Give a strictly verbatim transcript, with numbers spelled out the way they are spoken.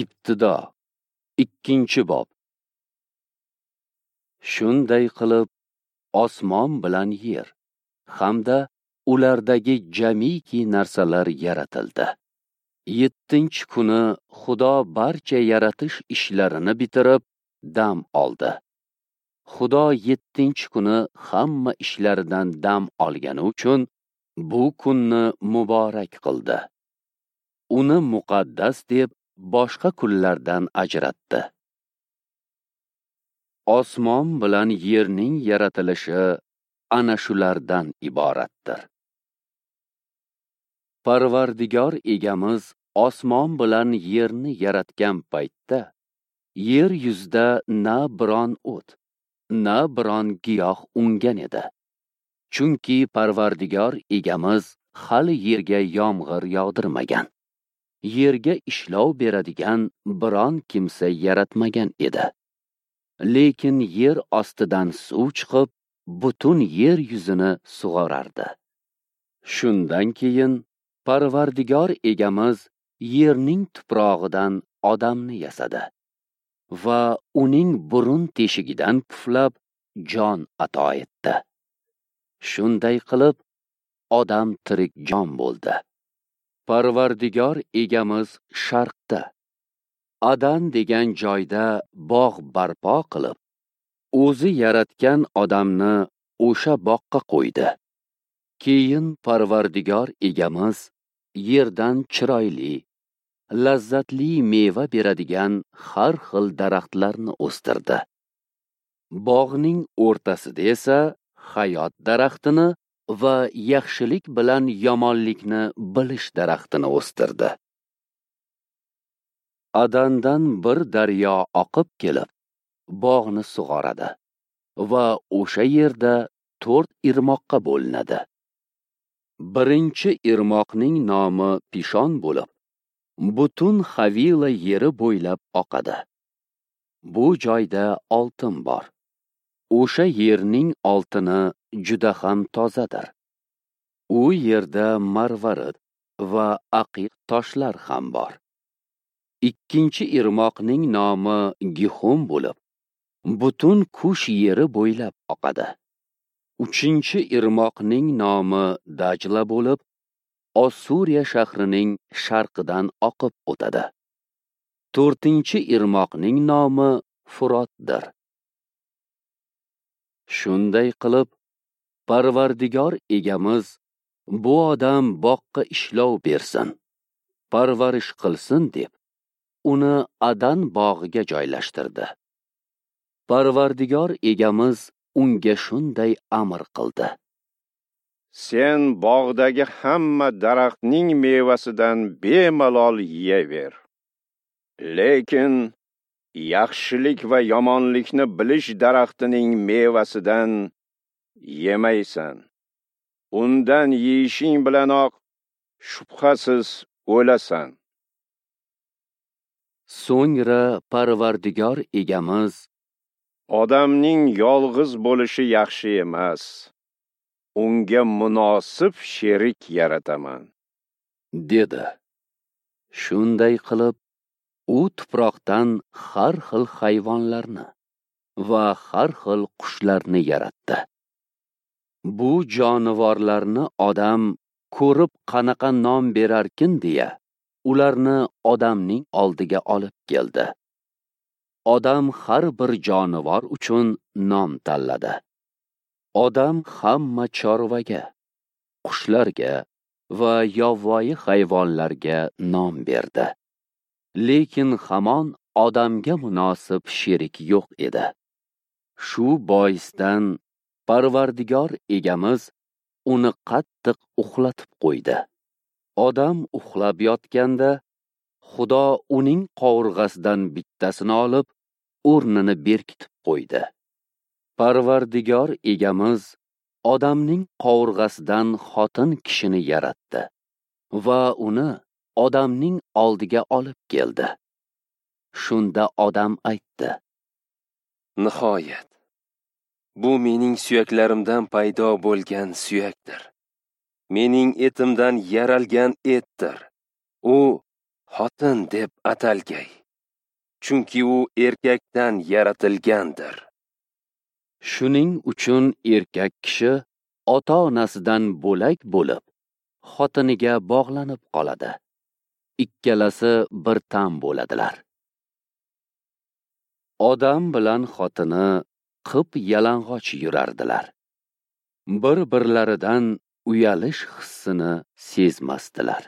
Ibtido, ikkinchi bob. Shunday qilib, osmon bilan yer hamda ulardagi jamiki narsalar yaratildi. Yettinchi kuni Xudo barcha yaratish ishlarini bitirib, dam oldi. Xudo yettinchi kuni hamma ishlaridan dam olgani uchun bu kunni muborak qildi. Uni muqaddas deb boshqa kunlardan ajratdi. Osmon bilan yerning yaratilishi ana shulardan iboratdir. Parvardigor egamiz osmon bilan yerni yaratgan paytda yer yuzida na biron o't, na biron giyoh ungan edi. Chunki Parvardigor egamiz hali yerga yomg'ir yog'dirmagan, yerga ishlov beradigan biron kimsa yaratmagan edi. Lekin yer ostidan suv chiqib, butun yer yuzini sug'orardi. Shundan keyin Parvardigor egamiz yerning tuprog'idan odamni yasadi va uning burun teshigidan puflab jon ato etdi. Shunday qilib odam tirik jon bo'ldi. Parvardigor egamiz sharqda Adan degan joyda bog' barpo qilib, o'zi yaratgan odamni o'sha boqqa qo'ydi. Keyin Parvardigor egamiz yerdan chiroyli, lazzatli meva beradigan har xil daraxtlarni o'stirdi. Bog'ning o'rtasida esa hayot daraxtini va yaxshilik bilan yomonlikni bilish daraxtini o'stirdi. Adandan bir daryo oqib kelib, bog'ni sug'oradi va o'sha yerda to'rt irmoqqa bo'linadi. Birinchi irmoqning nomi Pishon bo'lib, butun Havila yeri bo'ylab oqadi. Bu joyda oltin bor. O'sha yerning oltini juda ham tozadir. U yerda marvarid va aqiq toshlar ham bor. Ikkinchi irmoqning nomi Gihon bo'lib, butun Kush yeri bo'ylab oqadi. Uchinchi irmoqning nomi Dajla bo'lib, Ossuriya shahrining sharqidan oqib o'tadi. To'rtinchi irmoqning nomi Furotdir. Shunday qilib, Parvardigor egamiz bu odam boqqa ishlov bersin, parvarish qilsin deb uni Adan bog'iga joylashtirdi. Parvardigor egamiz unga shunday amr qildi: Sen bog'dagi hamma daraxtning mevasidan bemalol yeyaver. Lekin yaxshilik va yomonlikni bilish daraxtining mevasidan yemaysan. Undan yeyishing bilanoq shubhasiz o'lasan. So'ngra Parvardigor egamiz odamning yolg'iz bo'lishi yaxshi emas. Unga munosib sherik yarataman, dedi. Shunday qilib, u tuproqdan har xil hayvonlarni va har xil qushlarni yaratdi. Bu jonivorlarni odam ko'rib qanaqa nom berarkin deya, ularni odamning oldiga olib keldi. Odam har bir jonivor uchun nom tanladi. Odam hamma chorvaga, qushlarga va yovvoyi hayvonlarga nom berdi. Lekin hamon odamga munosib sherik yo'q edi. Shu boisdan Parvardigor egamiz uni qattiq uxlatib qo'ydi. Odam uxlab yotganda Xudo uning qovurg'asidan bittasini olib, o'rnini berkitib qo'ydi. Parvardigor egamiz odamning qovurg'asidan xotin kishini yaratdi va uni odamning oldiga olib keldi. Shunda odam aytdi: Nihoyat, bu mening suyaklarimdan paydo bo'lgan suyakdir. Mening etimdan yaralgan etdir. U xotin deb atalgay. Chunki u erkakdan yaratilgandir. Shuning uchun erkak kishi ota-onasidan bo'lak bo'lib, xotiniga bog'lanib qoladi. Ikkalasi bir tan bo'ladilar. Odam bilan xotini qip yalang'och yurardilar. Bir-birlaridan uyalish hissini sezmasdilar.